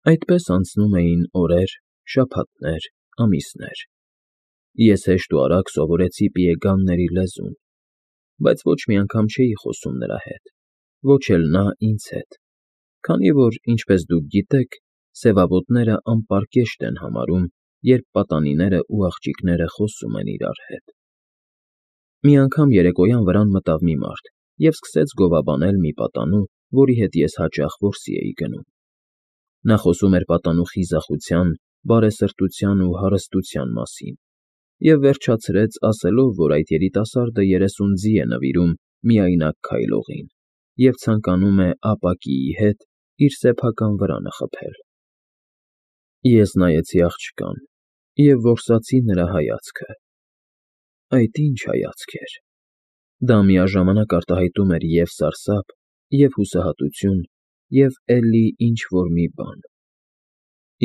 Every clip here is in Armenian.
Այդպես անցնում էին օրեր, շաբաթներ, ամիսներ. ես հեշտ ու արագ սովորեցի պիեգանների լեզուն, բայց ոչ մի անգամ չէի խոսում նրա հետ, ոչ էլ նա ինձ հետ, քանի որ, ինչպես դուք գիտեք, սևավոտները անպարկեշտ են համարում, երբ պատանիները ու աղջիկները խոսում են իրար հետ։ Մի անգամ երեկոյան վրան մտավ մի մարդ և սկսեց գովաբանել մի պատանու, որի հետ ես հաճախ որսի էի գնում։ Նա խոսում էր պատանու խիզախության, բարեսրտության ու հարստության մասին և վերջացրեց ասելով, որ այդ երիտասարդը 30 ձի է նվիրում միայնակ քայլողին և ցանկանում է ապակիի հետ իր սեփական վրանը խփել։ Ես նայեցի աղջկան և որսացի նրա հայացքը։ Այդ ի՞նչ հայացք էր։ Դա միաժամանակ արտահայտում էր և՛ սարսափ, և՛ հուսահատություն, և էլի ինչ֊որ մի բան։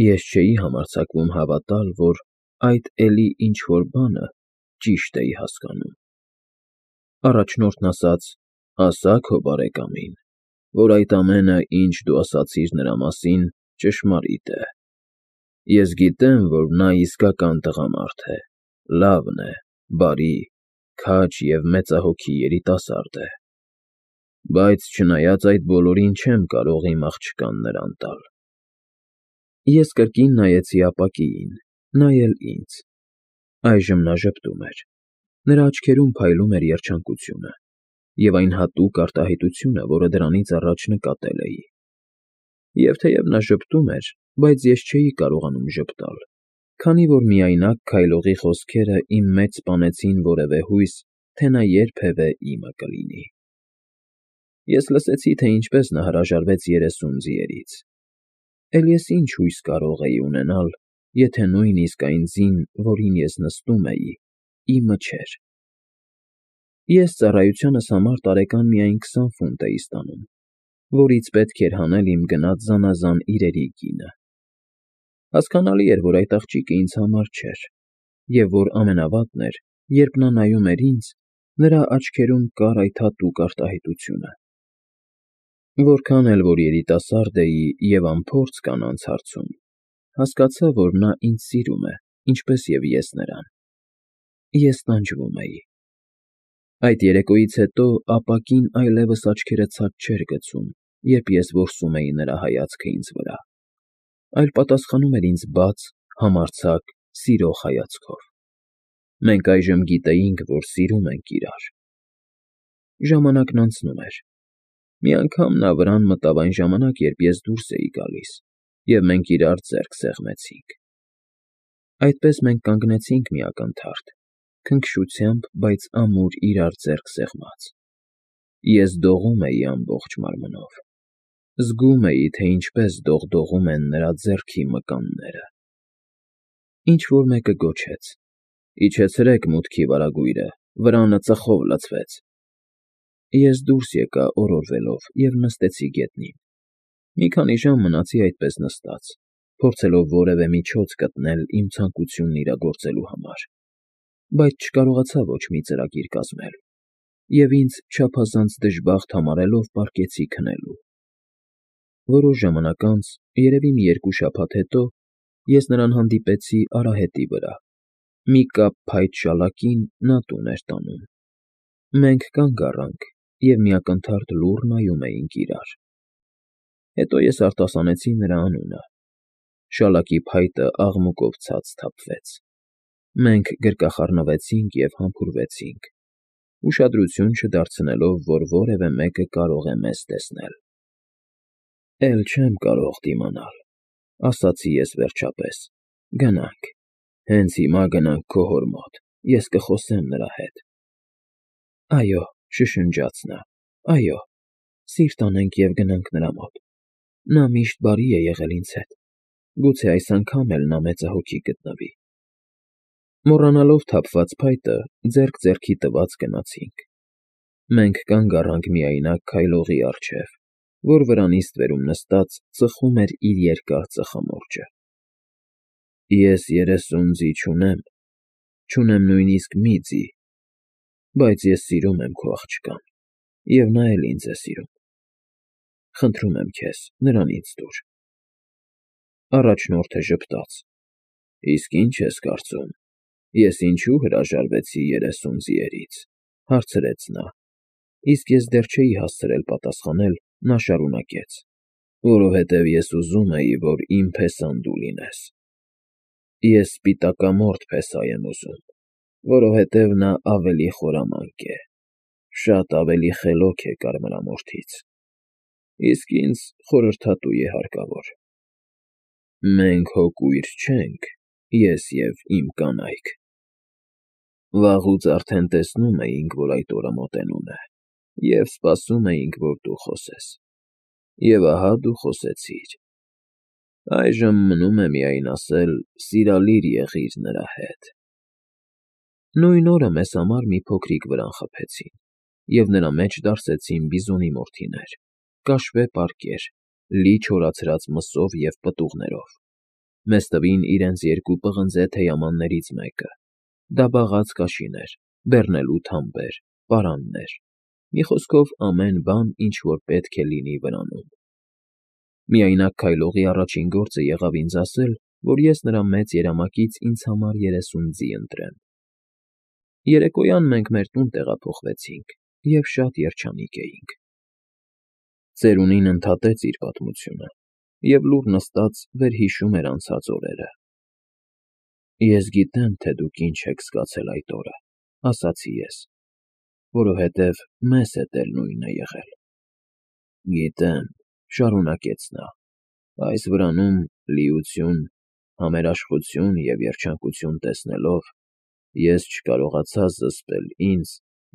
Ես չէի համարձակվում հավատալ, որ այդ էլի ինչ֊որ բանը ճիշտ էի հասկանում։ Առաջնորդն ասաց. «Ասա քո բարեկամին, որ այդ ամենը, ինչ դու ասացիր նրա մասին, ճշմարիտ է։ Ես գիտեմ, որ նա իսկական տղամարդ է, լավն է, բարի, քաջ և մեծահոգի երիտասարդ է։ Բայց չնայած այդ բոլորին, չեմ կարող իմ աղջկան նրան տալ»։ Ես կրկին նայեցի ապակիին, նա էլ ինձ։ Այժմ նա ժպտում էր։ Նրա աչքերում փայլում էր երջանկությունը և այն հատուկ արտահայտությունը, որը դրանից առաջ նկատել էի։ Եվ թեև նա ժպտում էր, բայց ես չէի կարողանում ժպտալ, քանի որ միայնակ քայլողի խոսքերը իմ մեջ սպանեցին որևէ հույս, թե նա երբևէ իմը կլինի։ Ես լսեցի, թե ինչպես նա հրաժարվեց 30 ձիերից։ Էլ ես ինչ հույս կարող էի ունենալ, եթե նույնիսկ այն ձին, որին ես նստում էի, իմը չէր։ Ես ծառայությանս համար տարեկան միայն 20 ֆունտ էի ստանում, որից պետք էր հանել իմ գնած զանազան իրերի գինը։ Հասկանալի էր, որ այդ աղջիկը ինձ համար չէր, և որ ամենավատն էր, երբ նա նայում էր ինձ, նրա աչքերում կար այդ հատուկ արտահայտությունը։ Որքան էլ որ երիտասարդ էի և անփորձ կանանց հարցում, հասկացա, որ նա ինձ սիրում է, ինչպես և ես նրան։ Ես տանջվում էի։ Այդ երեկոյից հետո ապակին այլևս աչքերը ցած չէր գցում, երբ ես որսում էի նրա հայացքը ինձ վրա, այլ պատասխանում էր ինձ բաց, համարձակ, սիրող հայացքով։ Մենք այժմ գիտեինք, որ սիրում ենք իրար։ Ժամանակն անցնում էր։ Մի անգամ նա վրան մտավ այն ժամանակ, երբ ես դուրս էի գալիս, և մենք իրար ձեռք սեղմեցինք։ Այդպես մենք կանգնեցինք մի ակնթարթ, քնքշությամբ, բայց ամուր իրար ձեռք սեղմած։ Ես դողում էի ամբողջ մարմնով։ Զգում էի, թե ինչպես դողդողում են նրա ձեռքի մկանները։ Ինչ֊որ մեկը գոչեց. «Իջեցրեք մուտքի վարագույրը, վրանը ծխով լցվեց»։ Ես դուրս եկա օրորվելով և նստեցի գետնին։ Մի քանի ժամ մնացի այդպես նստած, փորձելով որևէ միջոց գտնել իմ ցանկությունն իրագործելու համար, բայց չկարողացա ոչ մի ծրագիր կազմել և ինձ չափազանց դժբախտ համարելով պառկեցի քնելու։ Որոշ ժամանակ անց, երևի մի 2 շաբաթ հետո, ես նրան հանդիպեցի արահետի վրա, մի կապ փայտ շալակին նա տուն էր տանում։ Մենք կանգ առանք և մի ակնթարթ լուռ նայում էինք իրար։ Հետո ես արտասանեցի նրա անունը։ Շալակի փայտը աղմուկով ցած թափվեց։ Մենք գրկախառնվեցինք և համբուրվեցինք, ուշադրություն չդարձնելով, որ որևէ մեկը կարող է մեզ տեսնել։ «Էլ չեմ կարող դիմանալ», ասացի ես վերջապես։ «Գնանք, հենց հիմա գնանք քո հոր մոտ, ես կխոսեմ նրա հետ»։ «Այո», շշնջաց նա, «այո, սիրտ անենք և գնանք նրա մոտ։ Նա միշտ բարի է եղել ինձ հետ, գուցե այս անգամ էլ նա մեծահոգի գտնվի»։ Մոռանալով թափված փայտը, ձեռք ձեռքի տված գնացինք։ Մենք կանգ առանք միայնակ քայլողի առջև, որ վրանի ստվերում նստած ծխում էր իր երկար ծխամորճը։ «Ես 30 ձի չունեմ, չունեմ նույնիսկ մի ձի, բայց ես սիրում եմ քո աղջկան, և նա էլ ինձ է սիրում։ Խնդրում եմ քեզ, նրան ինձ տուր»։ Առաջնորդը ժպտաց. Իսկ ինչ ես կարծում, ես ինչու հրաժարվեցի 30 ձիերից, հարցրեց նա, իսկ ես դեռ չէի հասցրել պատասխանել, նա շարունակեց. Որովհետև ես ուզում էի, որ իմ փեսան դու լինես։ Ես սպիտակամորթ փեսա եմ ուզում, որովհետև նա ավելի խորամանկ է, շատ ավելի խելոք է կարմրամորթից, իսկ ինձ խորհրդատու է հարկավոր։ Մենք հո կույր չենք, ես և իմ կանայք։ Վաղուց արդեն տեսնում էինք, որ այդ օրը մոտենում է, և սպասում էինք, որ դու խոսես։ Եվ ահա դու խոսեցիր։ Այժմ մնում է միայն ասել. սիրալիր եղիր նրա հետ։ Նույն օրը մեզ համար մի փոքրիկ վրան խփեցին, և նրա մեջ դարսեցին բիզոնի մորթիներ, կաշվե պարկեր, լի չորացրած մսով և պտուղներով։ Մեզ տվին իրենց երկու պղնձե թեյամաններից մեկը, դաբաղած կաշիներ, բեռնելու թամբեր, պարաններ, մի խոսքով ամեն բան, ինչ որ պետք է լինի վրանում։ Միայնակ քայլողի առաջին գործը եղավ ինձ ասել, որ ես նրա մեծ երամակից ինձ համար 30 ձի ընտրեմ։ Երեկոյան մենք մեր տուն տեղափոխվեցինք և շատ երջանիկ էինք։ Ծերունին ընդհատեց իր պատմությունը և լուռ նստած վերհիշում էր անցած օրերը։ Ես գիտեմ, թե դուք ինչ եք զգացել այդ օրը, ասացի ես, որովհետև մեզ հետ էլ նույնն է եղել։ Գիտեմ, շարունակեց նա, այս վրանում լիություն, համերաշխություն և երջանկություն տեսնելով, ես չկարողացա զսպել ինձ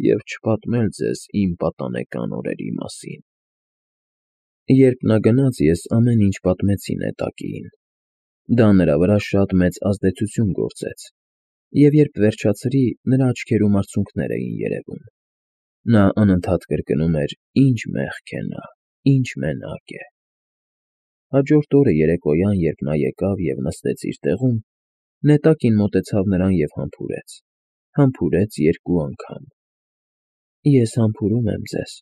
և չպատմել ձեզ իմ պատանեկան օրերի մասին։ Երբ նա գնաց, ես ամեն ինչ պատմեցի նետակիին։ Դա նրա վրա շատ մեծ ազդեցություն գործեց, և երբ վերջացրի, նրա աչքերում արցունքներ էին երևում։ Նա անընդհատ կրկնում էր. ինչ մեղք է նա, ինչ մենակ է։ Հաջորդ օրը երեկոյան, երբ նա եկավ և նստեց իր տեղում, նետակին մոտեցավ նրան և համբուրեց 2 անգամ։ Ես համբուրում եմ ձեզ,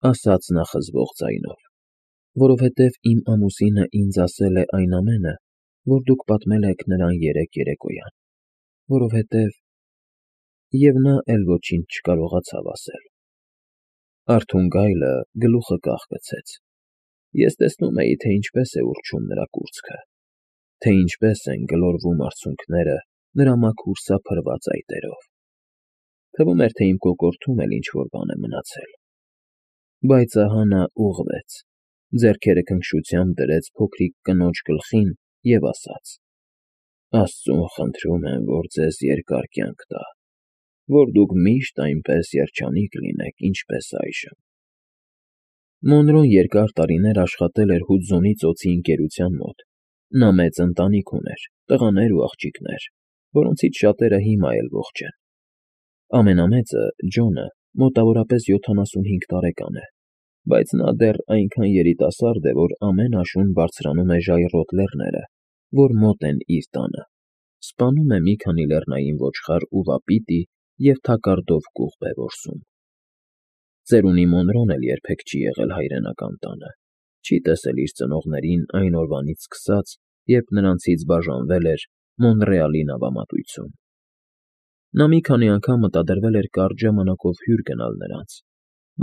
ասաց նա խզվող ձայնով, որովհետև իմ ամուսինը ինձ ասել է այն ամենը, որ դուք պատմել եք նրան երեկոյան, որովհետև… Եվ նա էլ ոչինչ չկարողացավ ասել։ Արթուն գայլը գլուխը կախկցեց։ Ես տեսնում էի, թե ինչպես է ուռչում նրա կուրծքը, թե ինչպես են գլորվում արցունքները նրա մաքուր սափրված այտերով։ Թվում էր, թե իմ կոկորդում էլ ինչ֊որ բան է մնացել։ Բայց ահա նա ուղղվեց, ձեռքերը քնքշությամբ դրեց փոքրիկ կնոջ գլխին և ասաց. Աստծուն խնդրում եմ, որ ձեզ երկար կյանք տա, որ դուք միշտ այնպես երջանիկ լինեք, ինչպես այժմ։ Մոնրոն երկար տարիներ աշխատել էր Հուդզոնի ծոցի ընկերության մոտ։ Նա մեծ ընտանիք ուներ, տղաներ ու աղջիկներ, որոնցից շատերը հիմա էլ ողջ են։ Ամենամեծը՝ Ջոնը, մոտավորապես 75 տարեկան է, բայց նա դեռ այնքան երիտասարդ է, որ ամեն աշուն բարձրանում է ժայռոտ լեռները, որ մոտ են իր տանը, սպանում է մի քանի լեռնային ոչխար ու վապիտի և թակարդով կուղբ է որսում։ Ծերունի Մոնրոն էլ երբեք չի եղել հայրենական տանը, չի տեսել իր ծնողներին այն օրվանից սկսած, երբ նրանցից բաժանվել էր Մոնրեալի նավամատույցում։ Նա մի քանի անգամ մտադրվել էր կարճ ժամանակով հյուր գնալ նրանց,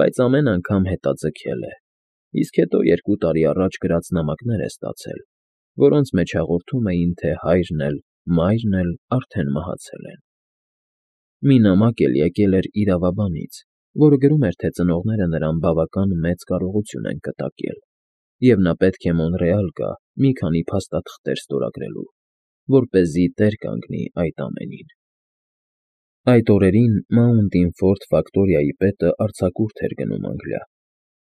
բայց ամեն անգամ հետաձգել է, իսկ հետո 2 տարի առաջ գրած նամակներ է ստացել, որոնց մեջ հաղորդում էին, թե հայրն էլ, մայրն էլ արդեն մահացել են։ Մի նամակ էլ եկել էր իրավաբանից, որը գրում էր, թե ծնողները նրան բավական մեծ կարողություն են կտակել, և նա պետք է Մոնրեալ գա մի քանի փաստաթղթեր ստորագրելու, որպեսզի տեր կանգնի այդ ամենին։ Այդ օրերին Mountain Ford ֆակտորիայի պետը արձակուրդ էր գնում Անգլիա։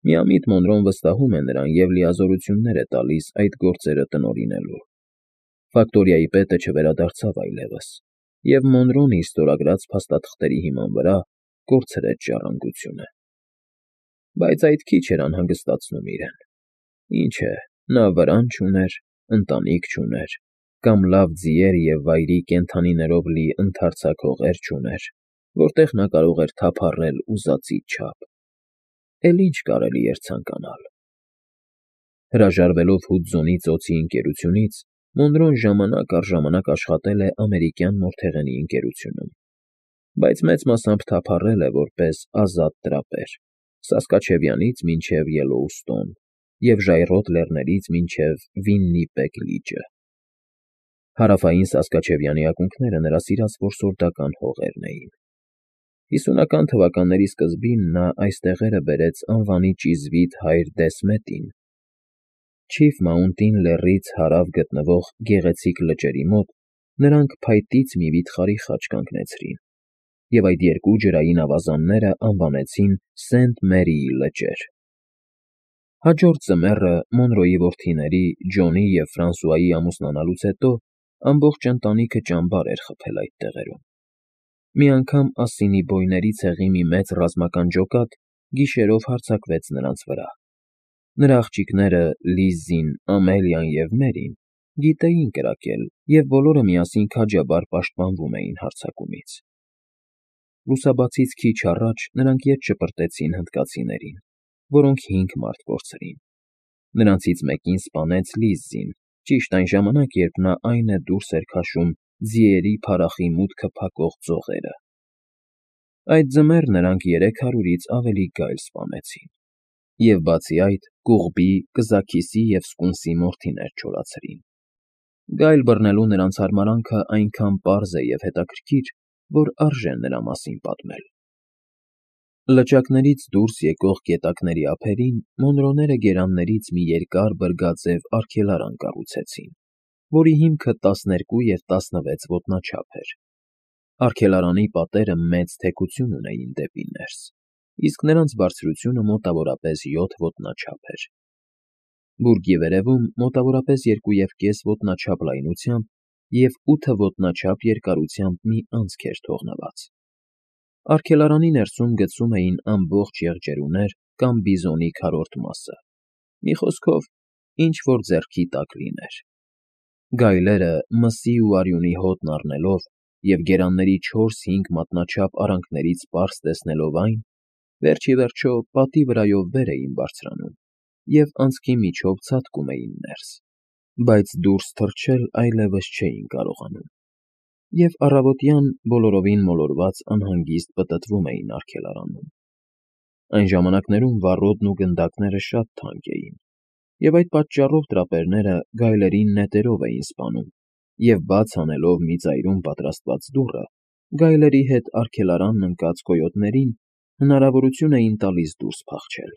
Միամիտ Մոնրոն վստահում է նրան և լիազորություններ է տալիս այդ գործերը տնօրինելու։ Ֆակտորիայի պետը չվերադարձավ այլևս, և Մոնրոն իր ստորագրած փաստաթղթերի հիման վրա կորցրեց ժառանգությունը։ Բայց այդ քիչ էր անհանգստացնում իրեն։ Ինչ է, նա վրան չուներ, ընտանիք չուներ, կամ լավ ձիեր և վայրի կենդանիներով լի ընդարձակ հողեր չուներ, որտեղ նա կարող էր թափառել ուզածից չափ։ Էլ ինչ կարելի էր ցանկանալ։ Հրաժարվելով Հուդզոնի ծոցի ընկերությունից, Մոնրոն ժամանակ առ ժամանակ աշխատել է ամերիկյան մորթեղենի ընկերությունում, բայց մեծ մասամբ թափառել է որպես ազատ տրապեր Սասկաչևյանից մինչև Ելլոուստոն և ժայռոտ լեռներից մինչև Վիննիպեգ լիճը։ Հարավային Սասկաչևյանի ակունքները նրա սիրած որսորդական հողերն էին։ 50-ական թվականների սկզբին նա այս տեղերը բերեց անվանի ճիզվիտ հայր Դեսմետին։ Չիֆ Մաունտին լեռից հարավ գտնվող գեղեցիկ լճերի մոտ նրանք փայտից մի վիթխարի խաչ կանգնեցրին, և այդ երկու ջրային ավազանները անվանեցին Սենտ Մերիի լճեր։ Հաջորդ ձմեռը Մոնրոյի որդիների՝ Ջոնի և Ֆրանսուայի ամուսնանալուց հետո ամբողջ ընտանիքը ճամբար էր խփել այդ տեղերում։ Մի անգամ ասինի բոյների ցեղի մի մեծ ռազմական ջոկատ գիշերով հարձակվեց նրանց վրա։ Նրա աղջիկները՝ Լիզզին, Ամելիան և Մերին, գիտեին կրակել, և բոլորը միասին քաջաբար պաշտպանվում էին հարձակումից։ Լուսաբացից քիչ առաջ նրանք ետ շպրտեցին հնդկացիներին, որոնք 5 մարդ կորցրին։ Նրանցից մեկին սպանեց Լիզզին, ճիշտ այն ժամանակ, երբ նա այն է դուրս էր քաշում ձիերի փարախի մուտքը փակող ձողերը։ Այդ ձմեռ նրանք 300-ից ավելի գայլ սպանեցին, և բացի այդ, Կուղբի, Կզաքիսի և Սկունսի մորթիներ չորացրին։ Գայլ բռնելու նրանց հարմարանքը այնքան պարզ է և հետաքրքիր, որ արժե նրա մասին պատմել։ Լճակներից դուրս եկող գետակների ափերին Մոնրոները գերաններից մի երկար բրգաձև արգելարան կառուցեցին, որի հիմքը 12 և 16 ոտնաչափ էր։ Արգելարանի պատերը մեծ թեքություն ունեին դեպի ներս, իսկ նրանց բարձրությունը մոտավորապես 7 ոտնաչափ էր։ Բուրգի վերևում մոտավորապես 2,5 ոտնաչափ լայնությամբ և 8 ոտնաչափ երկարությամբ մի անցք էր թողնված։ Արգելարանի ներսում գցում էին ամբողջ եղջերուներ կամ բիզոնի քառորդ մասը, մի խոսքով, ինչ-որ ձեռքի տակ լիներ։ Գայլերը, մսի ու արյունի հոտն առնելով և գերանների 4-5 մատնաչափ արանքներից պարզ տեսնելով այն, վերջ ի վերջո պատի վրայով վեր էին բարձրանում և անցքի միջով ցատկում էին ներս, բայց դուրս թռչել այլևս չէին կարողանում, և առավոտյան բոլորովին մոլորված անհանգիստ պտտվում էին արգելարանում։ Այն ժամանակներում վառոդն ու գնդակները շատ թանկ էին, և այդ պատճառով տրապերները գայլերին նետերով էին սպանում և բաց անելով մի ծայրում պատրաստված դուռը, գայլերի հետ արգելարանն ընկած կոյոտներին հնարավորություն էին տալիս դուրս փախչել։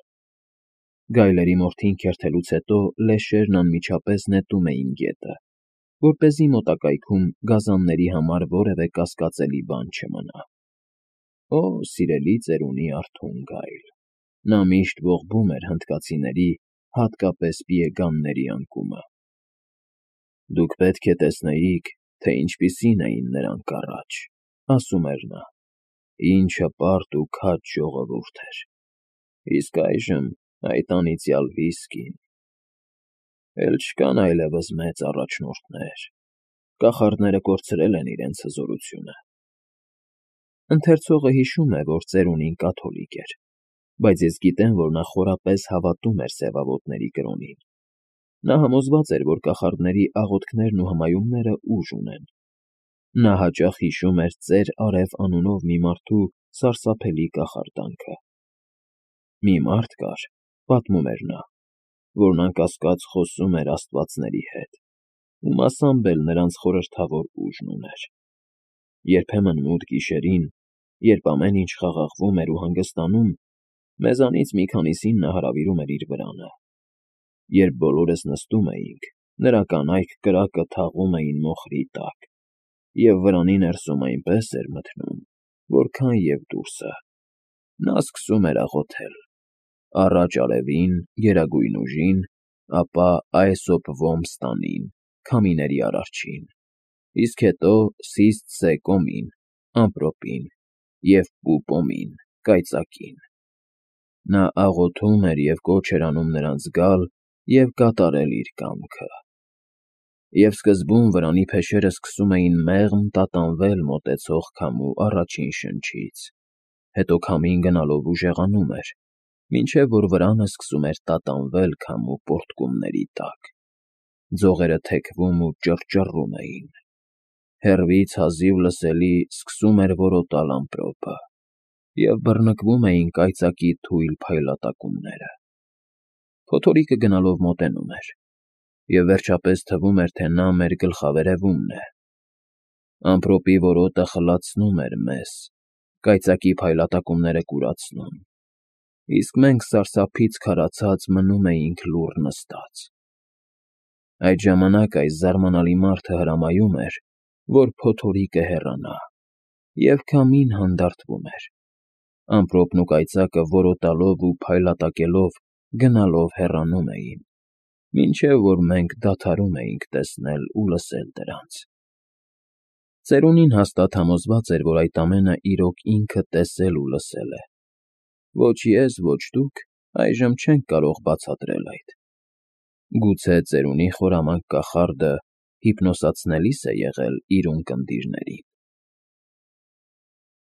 Գայլերի մորթին քերթելուց հետո լեշերն անմիջապես նետում էին գետը, որպեսզի մոտակայքում գազանների համար որևէ կասկածելի բան չմնա։ Օ, սիրելի ծերունի արթուն գայլ… Նա միշտ ողբում էր հնդկացիների, հատկապես պիեգանների անկումը։ Դուք պետք է տեսնեիք, թե ինչպիսին էին նրանք առաջ, ասում էր նա, ինչ հպարտ ու քաջ ժողովուրդ էր, իսկ այժմ այդ անիծյալ վիսկին… Էլ չկան այլևս մեծ առաջնորդներ, կախարդները կորցրել են իրենց հզորությունը։ Ընթերցողը հիշում է, որ ծերունին կաթոլիկ էր, բայց ես գիտեմ, որ նա խորապես հավատում էր սևավոտների կրոնին։ Նա համոզված էր, որ կախարդների աղոթքներն ու հմայումները ուժ ունեն։ Նա հաճախ հիշում էր Ծեր Արև անունով մի մարդու սարսափելի կախարդանքը։ Մի մարդ կար, պատմում էր նա, որն անկասկած խոսում էր աստվածների հետ, ու մասամբ էլ նրանց խորհրդավոր ուժն ուներ։ Երբեմն մութ գիշերին, երբ ամեն ինչ խաղաղվում էր ու հանգստանում, մեզանից մի քանիսին նա հրավիրում էր իր վրանը։ Երբ բոլորս նստում էինք, նրա կանայք կրակը թաղում էին մոխրի տակ, և վրանի ներսում այնպես էր մթնում, որքան և դուրսը։ Նա սկսում էր աղոթել. «Առաջ արևին, Գերագույն Ուժին, ապա Այսոպ Ոմստանին, Քամիների Արարչին, իսկ հետո Սիսթ Սեկոմին, Ամպրոպին և Պուպոմին, Կայծակին»։ Նա աղոթում էր և կոչ էր անում նրանց գալ և կատարել իր կամքը։ Եվ սկզբում վրանի փեշերը սկսում էին մեղմ տատանվել մոտեցող քամու առաջին շնչից, հետո քամին գնալով ուժեղանում էր, մինչև որ վրանը սկսում էր տատանվել քամու պոռթկումների տակ։ Ձողերը թեքվում ու ճռճռում էին։ Հեռվից հազիվ լսելի սկսում էր որոտալ ամպրոպը, և բռնկվում էին կայծակի թույլ փայլատակումները։ Փոթորիկը գնալով մոտենում էր, և վերջապես թվում էր, թե նա մեր գլխավերևումն է։ Ամպրոպի որոտը խլացնում էր մեզ, կայծակի փայլատակումները կուրացնում, իսկ մենք սարսափից քարացած մնում էինք լուռ նստած։ Այդ ժամանակ այս զարմանալի մարդը հրամայում էր, որ փոթորիկը հեռանա, և քամին հանդարտվում էր։ Ամպրոպն ու կայծակը որոտալով ու փայլատակելով գնալով հեռանում էին, մինչև որ մենք դադարում էինք տեսնել ու լսել դրանց։ Ծերունին հաստատ համոզված էր, որ այդ ամենը իրոք ինքը տեսել ու լսել է։ Ոչ ես, ոչ դուք այժմ չենք կարող բացատրել այդ։ Գուցե ծերունի խորամանկ կախարդը հիպնոսացնելիս է եղել իր ունկնդիրներին։